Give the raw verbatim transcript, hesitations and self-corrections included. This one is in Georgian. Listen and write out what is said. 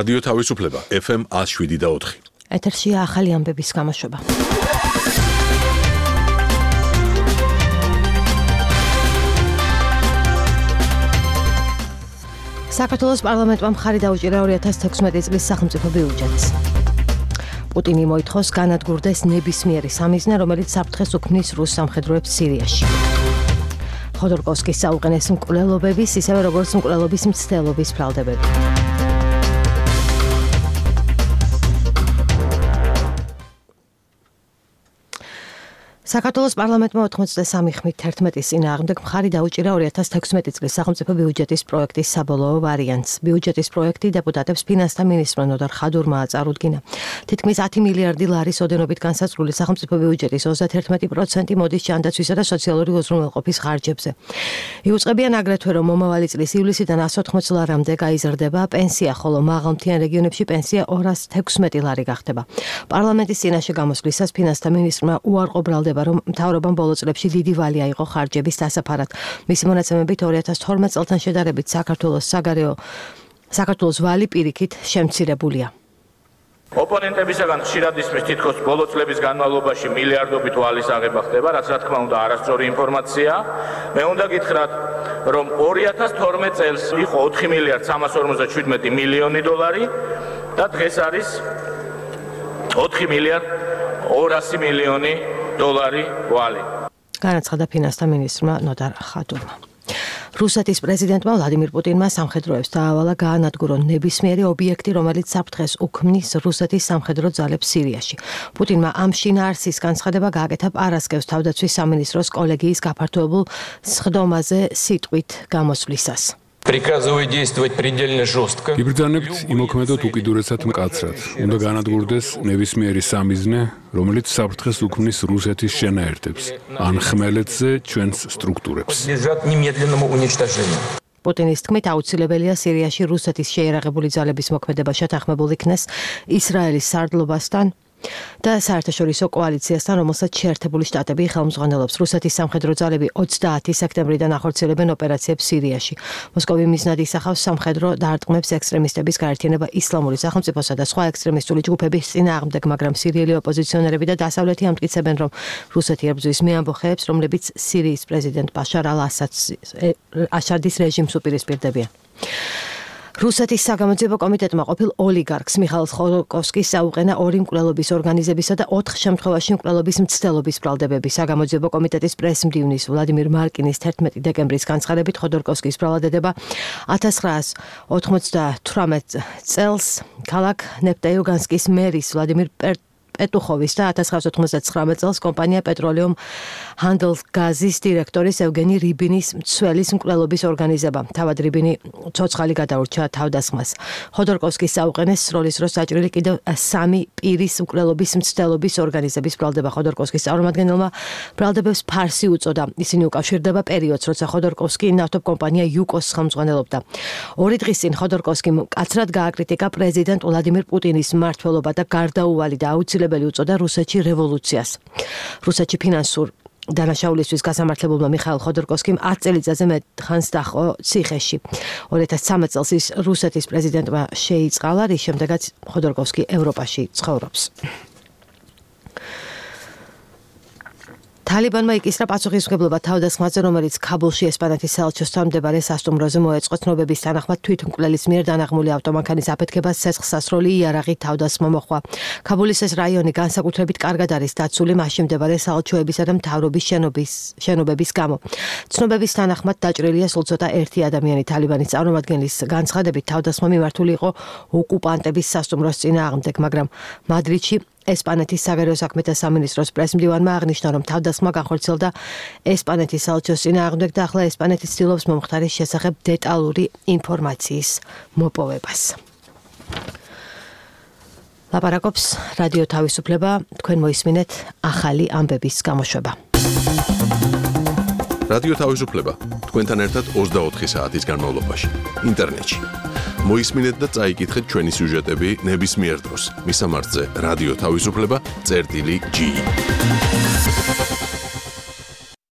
რადიო თავისუფლება ეფ ემ one oh seven და four. ეთერშია ახალი ამბების გამოშვება. საქართველოს პარლამენტმა მხარი დაუჭირა ორი ათას თექვსმეტი წლის სახელმწიფო ბიუჯეტს. პუტინი მოითხოვს განადგურდეს ნებისმიერი სამიზნე, რომელიც საფრთხეს უქმნის რუს სამხედროებს სირიაში. ხოდორკოვსკის საუყენეს მკვლელობების, ისევე როგორც მკვლელობის მცდელობის ბრალდებები. საქართველოს პარლამენტმა ოცდაათი ხმით ერთმეტის წინააღმდეგ მხარი დაუჭირა ორი ათას თექვსმეტი წლის სახელმწიფო ბიუჯეტის პროექტის საბოლოო ვარიანტს. ბიუჯეტის პროექტი დეპუტატებს ფინანსთა მინისტრმა ნოდარ ხადურმა წარუდგინა. თითქმის ათი მილიარდი ლარის ოდენობით განსაზღვრული სახელმწიფო ბიუჯეტის ოცდაათი პროცენტი მოდის ჯანდაცვისა და სოციალური უზრუნველყოფის ხარჯებზე. იუწყებიან აგრეთვე, რომ მომავალი წლის ივლისიდან εκατს ოთხმოცი ლარამდე გაიზრდება პენსია, ხოლო მაღალმთიან რეგიონებში პენსია ორას თექვსმეტი ლარი გახდება. პარლამენტის წინაშე გამოსვლისას ფინანსთა მინისტრმა უარყოფრალდება, რომ მთავრობამ ბოლო წლებში დიდი ვალი აიღო ხარჯების დასაფარად. მისი მონაცემებით ორი ათას თორმეტ წელთან შედარებით საქართველოს საგარეო საქართველოს ვალი პირიქით შემცირებულია. ოპონენტებისაგან ხშირად ისმის თითქოს ბოლო წლების განმავლობაში მილიარდობით ვალის აღება ხდება, რაც რა თქმა უნდა არასწორი ინფორმაციაა. მე უნდა გითხრათ, რომ ორი ათას თორმეტ წელს იყო ოთხი მილიარდი სამას ორმოცდაშვიდმეტი მილიონი დოლარი და დღეს არის ოთხი მილიარდი ორასი მილიონი დოლარი ვალი. განაცხადა ფინანსთა მინისტრმა ნოდარ ხადურმა. რუსეთის პრეზიდენტმა ვლადიმირ პუტინმა სამხედროებს დაავალა გაანადგურონ ნებისმიერი ობიექტი, რომელიც საფრთხეს უქმნის რუსეთის სამხედრო ძალებს სირიაში. პუტინმა ამ შინაარსის განცხადება გააკეთა პარასკევს თავდაცვის სამინისტროს კოლეგიის გაფართოებულ სხდომაზე სიტყვით გამოსვლისას. Приказываю действовать предельно жестко. Იბრძანებთ იმოქმედოთ უკიდურესად მკაცრად. Უნდა განადგურდეს ნებისმიერი სამიზნე, რომელიც საფრთხეს უქმნის რუსეთის შენაერთებს, ან ხმელეთზე ჩვენს სტრუქტურებს. Подлежат немедленному уничтожению. პუტინის თქმით აუცილებელია სირიაში რუსეთის შეიარაღებული ძალების მოქმედება შეთანხმებულ იქნეს ისრაელის სარდლობასთან და საერთაშორისო კოალიციასთან, რომელსაც შეერთებული შტატები ხელმძღვანელობს. რუსეთის სამხედრო ძალები ოცდაათი სექტემბრიდან ახორციელებენ ოპერაციებს სირიაში. მოსკოვი მიზნად ისახავს სამხედრო დარტყმებს ექსტრემისტების გაერთიანება ისლამური სახელმწიფოსა და სხვა ექსტრემისტული ჯგუფების წინააღმდეგ, მაგრამ სირიელი ოპოზიციონერები და დასავლეთი ამტკიცებენ, რომ რუსეთი ებრძვის მე ამბოხეებს, რომლებიც სირიის პრეზიდენტ ბაშარ ალ-ასადის რეჟიმს უპირისპირდებიან. რუსეთის საგამოძიებო კომიტეტმა ყოფილ ოლიგარქს მიხაილ ხოდორკოვსკის საუყენა ორი მკვლელობის ორგანიზებისა და ოთხ შემთხვევაში მკვლელობის მცდელობის ბრალდებები. საგამოძიებო კომიტეტის პრესმდივნის ვლადიმირ მარკინის თერთმეტი დეკემბრის განცხადებით ხოდორკოვსკის ბრალადედება ათას ცხრაას ოცდათვრამეტ წელს ქალაქ ნეპტეიუგანსკის მერის ვლადიმირ პეტუხოვის და ათას ცხრაას ოთხმოცდათხრამეტ წელს კომპანია პეტროლიუმ ჰანდელგაზის დირექტორის ევგენი რიბინის მცველის მკვლელობის ორგანიზება. თავად რიბინი ცოცხალი გადაურჩა თავდასხმას. ხოდორკოვსკის საუყენეს სროლის დროს საჭრელი კიდევ სამი პირის მკვლელობის მცდელობის ორგანიზების ბრალდება. ხოდორკოვსკის წარმომადგენელმა ბრალდებებს ფარსი უწოდა. ისინი უკავშირდება პერიოდს, როცა ხოდორკოვსკი ნავთობ კომპანია იუკოს ხელმძღვანელობდა. ორი დღის წინ ხოდორკოვსკიმ მკაცრად გააკრიტიკა პრეზიდენტ ვლადიმირ პუტინის მმართველობა და გარდაუვალი და აუცილებელი უწოდა რუსეთში რევოლუციას. რუსეთში ფინანსურ დანაშაულისთვის გასამართლებულმა მიხაილ ხოდორკოვსკიმ ათ წელიწადზე მეტ ხანს დაჰყო ციხეში. ორი ათას ცხრამეტ წელს ის რუსეთის პრეზიდენტმა შეიწყალა, რის შემდეგაც ხოდორკოვსკი ევროპაში ცხოვრობს. თალიბანმა იკისრა პასუხისმგებლობა თავდასხმაზე, რომელიც ქაბულში ესპანეთის საელჩოსთან მდებარე სასტუმროზე მოეწყო. ცნობების თანახმად თვითმკვლელის მიერ დანაღმული ავტომანქანის აფეთქებას ცეცხლსასროლი იარაღით თავდასხმა მოჰყვა. ქაბულის ეს რაიონი განსაკუთრებით კარგად არის დაცული მასში მდებარე საელჩოებისა და მთავრობის შენობის შენობების გამო. ცნობების თანახმად დაჭრილია სულ ცოტა ერთი ადამიანი. თალიბანის წარმომადგენლის განცხადებით თავდასხმა მიმართული იყო ოკუპანტების სასტუმროს წინააღმდეგ, მაგრამ მადრიდში ესპანეთის საგარეო საქმეთა სამინისტროს პრესმდივანმა აღნიშნა, რომ თავდასხმა განხორციელდა ესპანეთის საელჩოს წინააღმდეგ და ახლა ესპანეთი ცდილობს მომხდარის შესახებ დეტალური ინფორმაციის მოპოვებას. ლაპარაკობს რადიო თავისუფლება, თქვენ მოისმინეთ ახალი ამბების გამოშვება. რადიო თავისუფლება თქვენთან ერთად ოცდაოთხი საათის განმავლობაში ინტერნეტში. მოისმინეთ და წაიკითხეთ ჩვენი სიუჟეტები ნებისმიერ დროს. მისამართზე რადიო თავისუფლება წერტილი ჯი.